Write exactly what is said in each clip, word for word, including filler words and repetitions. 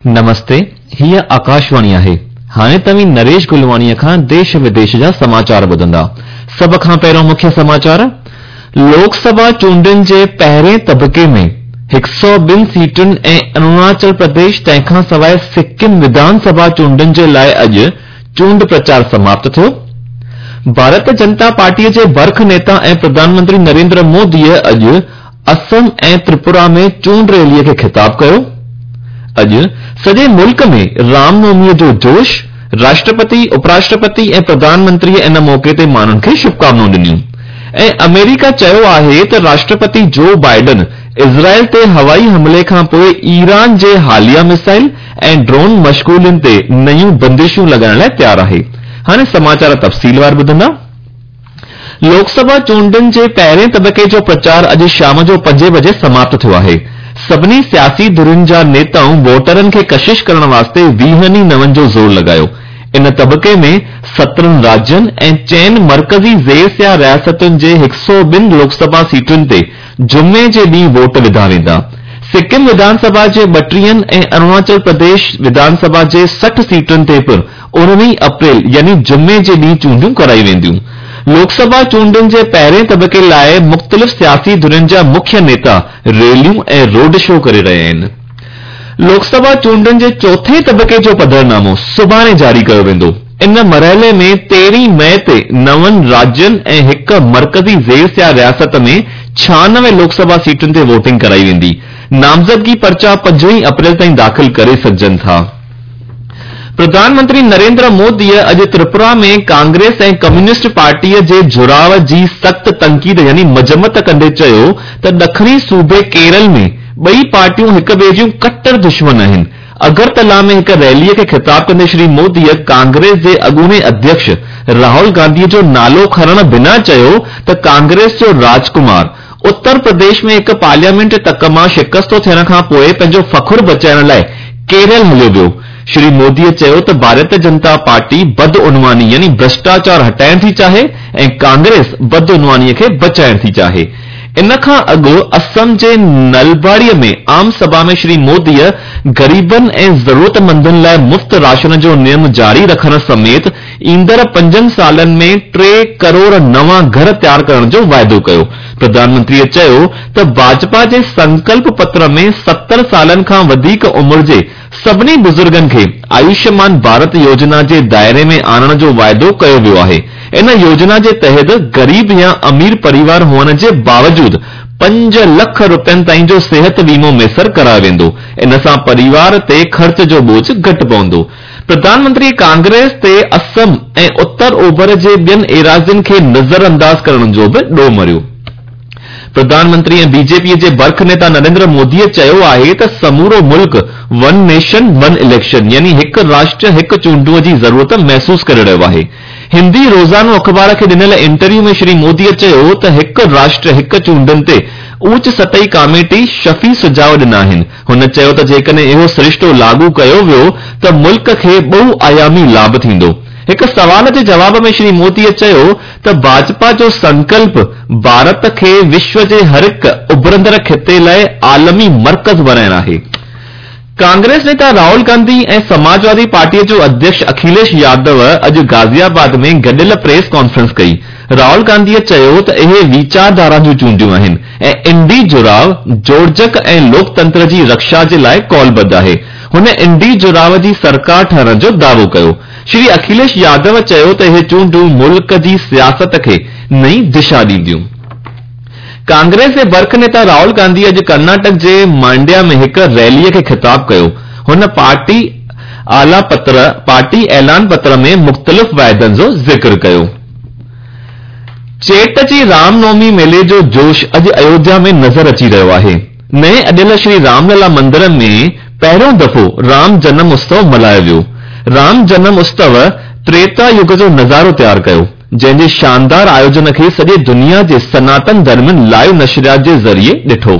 نمستي، هيء آڪاشواڻي آهي. هاڻي توهين نريش گلواڻيء کان ديش وديش جا سماچار ٻڌندا. سڀ کان پهريون مکيه سماچار، لوڪ سڀا چونڊن جي پهرين طبقي ۾ هڪ سؤ ٻن سيٽن ۽ اروناچل پرديش تنهن کان سواء سڪم وڌان سڀا چونڊن جي لاء اڄ چونڊ پرچار سماپت ٿيو. ڀارت جنتا پارٽيء جي برک نيتا ۽ پرڌان منتري نريندر موديء اڄ اسم ۽ تريپورا ۾ چونڊ ريليء کي خطاب ڪيو. اڄ سڄي ملڪ ۾ رام نوميء جو جوش، راشٽرپتي، اپراشٽرپتي ۽ پرڌان منتريء ان موقعي تي ماڻهن کي شڀڪامنائون ڏنيون ۽ آمريڪا چيو آهي ته راشٽرپتي جو بائيڊن اسرائيل تي هوائي حملي کان پوء ايران جي حاليه ميزائل ۽ ڊرون مشغولين تي نيون بندشون لڳائڻ لاء تيار آهي. هاڻي سماچار تفصيلوار ٻڌندا. لوڪ سڀا چونڊن جي پهرين طبقي جو پرچار اڄ شام جو پنجين بجي سماپت ٿيو آهي. سڀني سياسي ڌرين جا نيتائون ووٽرن کي ڪشش ڪرڻ واسطي ويهن ئي نون جو زور لڳايو. ان طبقي ۾ سترهن راجين ۽ چئن مرڪزي زير سيا رياستن جي هڪ سؤ ٻن لوڪ سڀا سيٽن تي جمعي جي ڏينهن ووٽ وڌا ويندا. سڪم وڌان سڀا جي ٻٽيهن ۽ اروناچل پرديش وڌان سڀا جي سٺ سيٽن تي پڻ اڻويهه اپريل يعني جمعي جي ڏينهن چونڊيون ڪرائي وينديون. لوڪ سڀا چونڊن جي پهرين طبقي لاء مختلف سياسي ڌرين جا مکيه نيتا ريليون ۽ روڊ شو ڪري رهيا آهن. لوڪ سڀا چونڊن جي چوٿين طبقي جو پڌرنامو سڀاڻي جاري ڪيو ويندو. ان مرحلي ۾ تيرهين مئي تي نون راجين ۽ هڪ مرڪزي زير سيا رياست ۾ ڇهانوي لوڪ سڀا سيٽن تي ووٽنگ ڪرائي ويندي. نامزدگي پرچا پنجويهه اپريل تائين داخل ڪري سگهجن ٿا. پرڌان منتري نريندر موديء اڄ تريپورا ۾ ڪانگريس ۽ ڪميونسٽ پارٽيء جي جڙاءُ جي سخت تنقيد يعني مذمت ڪندي چيو ته ڏکڻي صوبي ڪيرل ۾ ٻئي پارٽيون هڪ ٻئي جون ڪٽر دشمن آهن. اگرتلا ۾ هڪ ريليء کي خطاب ڪندي شري موديء ڪانگريس جي اڳوڻي اڌيڪش راهول گانڌيء جو نالو کڻڻ بنا چيو ته ڪانگريس جو راجڪمار اتر پرديش ۾ هڪ پارليامينٽ تڪ مان شڪستو ٿيڻ کان پوء پنهنجو فخر بچائڻ لاء ڪيرل هليو ويو. شري موديء چيو ته ڀارتيه جنتا پارٽي بدعنواني يعني ڀرشٽاچار هٽائڻ ٿي چاهي ۽ ڪانگريس بدعنوانيء کي بچائڻ ٿي چاهي. ان کان اڳ اسم جي نلباڙيء ۾ عام سڀا ۾ شري موديء غريبن ۽ ضرورتمندن لاء مفت راشن جو نيم جاري رکڻ سميت ايندڙ پنجن سالن ۾ ٽي ڪروڙ نوان گهر تيار ڪرڻ جو واعدو ڪيو. پرڌان منتريء چيو ته ڀاجپا جي سنڪلپ پتر ۾ ستر سالن کان وڌيڪ عمر جي سڀني بزرگن کي آيوشمان ڀارت يوجنا جي دائري ۾ آڻڻ جو واعدو ڪيو ويو آهي. ان يوجنا جي تحت غريب يا امير پريوار هئڻ جي باوجود پنج لک رپين تائين جو صحت ويمو ميسر ڪرايو ويندو. ان سان پريوار تي خرچ جو ٻوجهه گهٽ پوندو. پرڌان منتري ڪانگريس تي اسم ۽ اتر اوڀر جي ٻين ايراضين کي نظرانداز ڪرڻ جو به ڏوهه مڙهيو. پرڌان منتري ۽ بي جي پيء جي برک نيتا نريندر موديء چيو آهي ته سمورو ملڪ ون نيشن ون اليڪشن يعني هڪ راشٽر هڪ چونڊون جي ضرورت محسوس ڪري رهيو آهي. هندي روزانو اخبار کي ڏنل انٽرويو ۾ شري موديء چيو ته هڪ راشٽر هڪ چونڊن تي اوچ سطحي ڪاميٽي شفي سجهاءُ ڏنا آهن. هن چيو ته جيڪڏهن اهو سرشتو لاڳو ڪيو ويو ته ملڪ کي ٻه آيامي لاڀ ٿيندو. هڪ سوال جي جواب ۾ شري موديء چيو ته ڀاجپا جو سنڪلپ ڀارت کي وشو جي هر هڪ اڀرندڙ خطي لاء عالمي مرڪز بڻائڻ آهي. ڪانگريس نيتا راهول گانڌي ۽ سماجوادي پارٽيء جو اڌيڪش اکليش يادو اڄ غازي آباد ۾ گڏيل پريس ڪانفرنس ڪئي. راهول گانڌيء چيو ته اهي ويچارڌارا جون چونڊيون آهن ۽ انڊي جڙاءُ جوڙجڪ ۽ لوڪتنتر جي رڪشا جي لاء ڪالبڌ آهي. هن انڊي جڙاءُ جي سرڪار ٺهڻ جو دعوو ڪيو. شري اکليش يادو چيو ته اهي چونڊون ملڪ جي سياست کي نئين دشا ڏينديون. ڪانگريس جي برک نيتا راهول گانڌي اڄ ڪرناٽڪ جي مانڊيا ۾ هڪ ريليء کي خطاب ڪيو. هن پارٽي اعليٰ پتر پارٽي اعلان پتر ۾ مختلف واعدن جو ذڪر ڪيو. چيٽ جي رام نومي ميلي جو جوش اڄ ايوڌيا ۾ نظر اچي رهيو آهي. نئين اڏيل شري رام للا مندر ۾ پهريون دفعو رام جنم اتسو ملهايو ويو. رام جنم اتسو تريتا يگ جو نظارو تيار ڪيو، جنهن جي شاندار آيوجن کي سڄي دنيا جي سناتن ڌرمين لائيو نشريات جي ذريعي ڏٺو.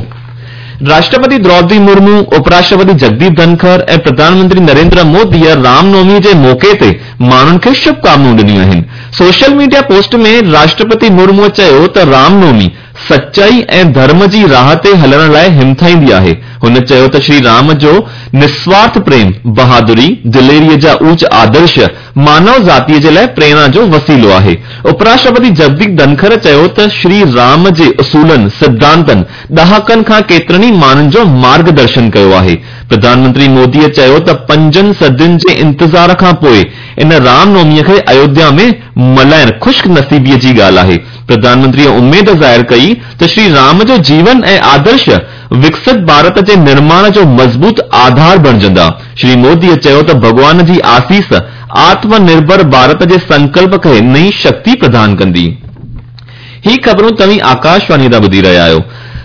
راشٽرپتي دروپدي مرمو، اپراشٽرپتي جگديپ ڌنکر ۽ پرڌان منتري نريندر موديء رام نوميء جي موقعي تي ماڻهن کي شڀڪامنائون ڏنيون آهن. سوشل ميڊيا پوسٽ ۾ راشٽرپتي مرموء چيو ته رام نومي सचाई ऐं धर्म जी राह ते हलण लाइ हिमथाईंदी आहे। हुन चयो त श्री राम जो निस्वार्थ प्रेम, बहादुरी, दिलेरीअ जा ऊच आदर्श मानव ज़ातीअ जे लाइ प्रेरणा जो वसीलो आहे। उपराष्ट्रपति जगदीप धनखड़ चयो त श्री राम जे उसूलनि, सिद्धांतनि ॾहाकनि खां केतिरनि ई माण्हुनि जो मार्गदर्शन कयो आहे। प्रधानमंत्री मोदीअ चयो त पंजनि सदियुनि जे इंतज़ार खां पोइ इन रामनवमीअ खे अयोध्या में मल्हाइण ख़ुशनसीबीअ जी ॻाल्हि आहे। प्रधानमंत्रीअ उमेद ज़ाहिर कई त श्री राम जो जीवन ऐं आदर्श विकसित भारत जे निर्माण जो मज़बूत आधार बणिजंदा। श्री मोदीअ चयो त भॻवान जी आसीस आत्मनिर्भर भारत जे संकल्प खे नई शक्ति प्रदान कंदी। ही ख़बरूं तव्हीं आकाशवाणी तां ॿुधी रहिया आहियो।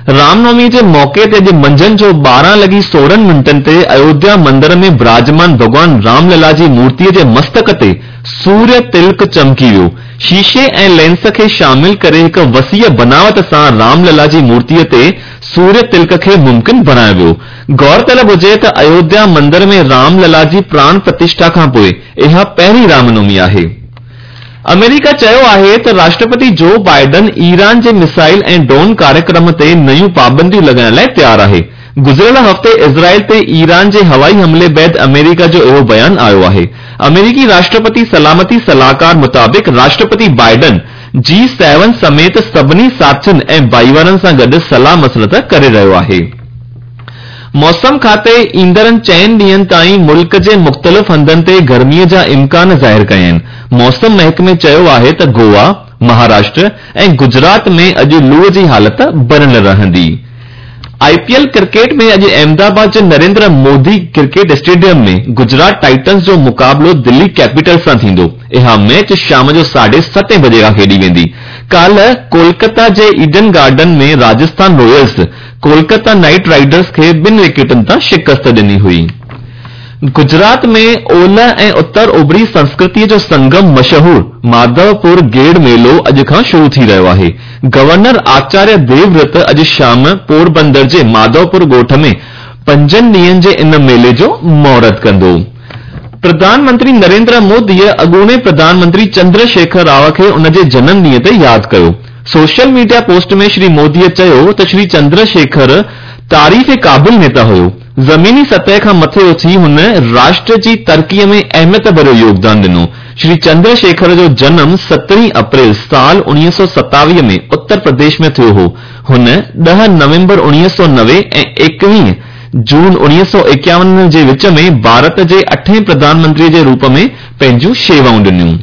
रामनवमी जे मौक़े ते अॼु मंझंदि जो ॿारहं लॻी सोरहं मिंटनि ते अयोध्या मंदिर में विराजमान भॻवान रामलला जी मूर्तीअ जे मस्तक ते सूर्य तिलक चमकी वियो। शीशे ऐं लेंस खे शामिल करे हिकु वसीअ बनावट सां रामलला जी मूर्तीअ ते सूर्य तिलक खे मुमकिन बणायो वियो। गौरतलब हुजे त अयोध्या मंदिर में रामलला जी प्राण प्रतिष्ठा खां पोइ इहा पहिरीं रामनवमी आहे। अमेरिका चयो आहे त राष्ट्रपति जो बाइडन ईरान जे मिसाइल ऐं ड्रोन कार्यक्रम ते नयूं पाबंदियूं लॻाइण लाइ तयारु आहे। गुज़िरियल हफ़्ते इज़राइल ते ईरान जे हवाई हमले बाद अमेरिका जो इहो बयान आयो आहे। अमेरिकी राष्ट्रपति सलामती सलाहकार मुताबिक़ राष्ट्रपति बाइडन जी सेवन समेत सभिनी साथियुनि ऐं भाईवारनि सां गॾु सलाह मसलत करे रहियो आहे। मौसम खाते ईंदड़नि चइनि ॾींहंनि ताईं मुल्क जे मुख़्तलिफ़ हंधनि ते गर्मीअ जा इम्कान ज़ाहिर कया आहिनि। मौसम महकमे चयो आहे त गोवा, महाराष्ट्र ऐं गुजरात में अॼु लूअ जी हालत बणियल रहंदी। आईपीएल क्रिकेट में अॼु अहमदाबाद जे नरेंद्र मोदी क्रिकेट स्टेडियम में गुजरात टाइटन्स जो मुक़ाबिलो दिल्ली कैपिटल्स सां थींदो। इहा मैच शाम जो साढे सतें बजे खां खेॾी वेंदी। काल्ह कोलकाता जे Eden Garden में Rajasthan Royals Kolkata Knight Riders खे ॿिनि विकेटनि तां शिकस्त ॾिनी हुई। गुजरात में ओलह ऐं उत्तर उभरी संस्कृतीअ जो संगम मशहूर माधवपुर गेड़ मेलो अॼु खां शुरू थी रहियो आहे। गवर्नर आचार्य देवव्रत अॼु शाम पोरबंदर जे माधवपुर ॻोठ में पंजनि ॾींहंनि जे इन मेले जो मुहूर्त कंदो। प्रधानमंत्री नरेंद्र मोदीअ अॻूणे प्रधानमंत्री चंद्रशेखर राव खे उन जे जनम ॾींहं ते यादि कयो। सोशल मीडिया पोस्ट में श्री मोदीअ चयो त श्री चंद्रशेखर तारीफ़ क़ाबिल नेता हुयो। ज़मीनी सतह खां मथे उथी हुन राष्ट्र जी तरक़ीअ में अहमियत भरियो योगदान ॾिनो। श्री चंद्रशेखर जो जनम सतरहीं अप्रैल साल उणिवीह सौ सतावीह में उत्तर प्रदेश में थियो हो। हुन ॾह नवंबर उणिवीह सौ नवे ऐं एकवीह जून उणिवीह सौ एकावन जे विच में भारत जे अठें प्रधानमंत्रीअ जे रूप में पंहिंजूं शेवाऊं ॾिनियूं।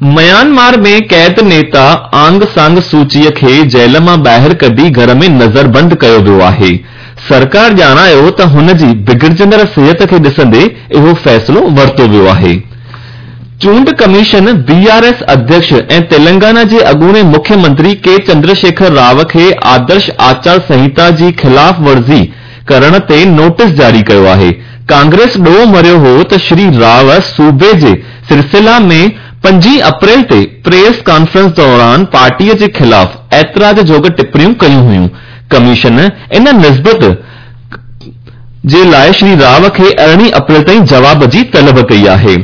म्यांमार में कैद नेता आंग सांग सूचीअ खे जेल मां ॿाहिरि कढी घर में नज़रबंद कयो वियो आहे। सरकार ॼाणायो त हुन जी बिगड़जंदड़ सिहत खे ॾिसंदे इहो फ़ैसिलो वरितो वियो आहे। चूंड कमीशन बीआरएस अध्यक्ष ऐं तेलंगाना जे अॻूणे मुख्यमंत्री के चंद्रशेखर राव खे आदर्श आचार संहिता जी ख़िलाफ़ वर्ज़ी करण ते नोटिस जारी कयो आहे। कांग्रेस ॾोह मरियो हो त श्री राव सूबे जे सिलसिला में पंजीह अप्रैल ते प्रेस कॉन्फ्रेंस दौरान पार्टीअ जे ख़िलाफ़ ऐतराज़ जोग टिप्पणियूं कयूं हुयूं। कमीशन इन निस्बत जे लाइ श्री राव खे अरिड़हीं अप्रैल ताईं जवाब जी तलब कई आहे।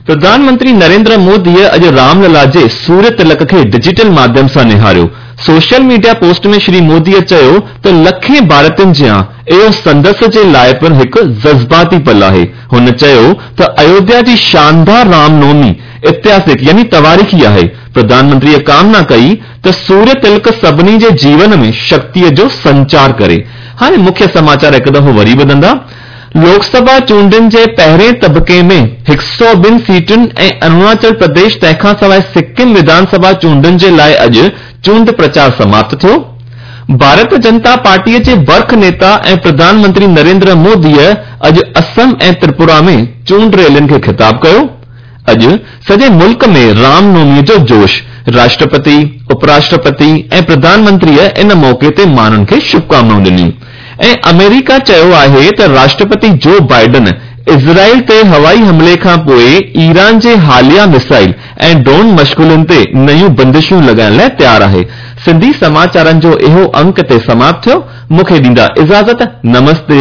प्रधानमंत्री नरेंद्र मोदीअ अॼु रामलला जे सूर्य तिलक खे डिजिटल माध्यम सां निहारियो। सोशल मीडिया पोस्ट में श्री मोदीअ चयो त लखें भारतीयुनि जियां इहो संदसि जे लाइ पिणु हिकु जज़्बाती पल आहे। हुन चयो त अयोध्या जी शानदार रामनवमी ऐतिहासिक यानी तवारीख़ी आहे। प्रधानमंत्रीअ कामना कई त सूर्य तिलक सभिनी जे जीवन में शक्तीअ जो संचार करे। हाणे मुख्य समाचार हिकु दफ़ो वरी ॿुधंदा। लोकसभा चूंडनि जे पहिरें तबिके में हिकु सौ ॿिनि सीटुनि ऐं अरुणाचल प्रदेश तंहिंखां सवाइ सिक्किम विधानसभा चूंडनि जे लाइ अॼु चूंड प्रचार समाप्त थियो। भारतीय जनता पार्टीअ जे बर्ख नेता ऐं प्रधानमंत्री नरेंद्र मोदीअ अॼु असम ऐं त्रिपुरा में चूंड रैलियुनि खे ख़िताब कयो। अॼु सॼे मुल्क में रामनवमीअ जो जोश। राष्ट्रपति, उपराष्ट्रपति ऐं प्रधानमंत्रीअ इन मौक़े ते माण्हुनि खे शुभकामनाऊं ॾिनियूं। ऐं अमेरिका चयो आहे त राष्ट्रपति जो बाइडन इज़राइल ते हवाई हमले खां पोइ ईरान जे हालिया मिसाइल ऐं ड्रोन मशगुलुनि ते नयूं बंदिशूं लॻाइण लाइ तयारु आहे। सिंधी समाचारनि जो इहो अंक ते समाप्त थियो। मूंखे ॾींदा इजाज़त। नमस्ते।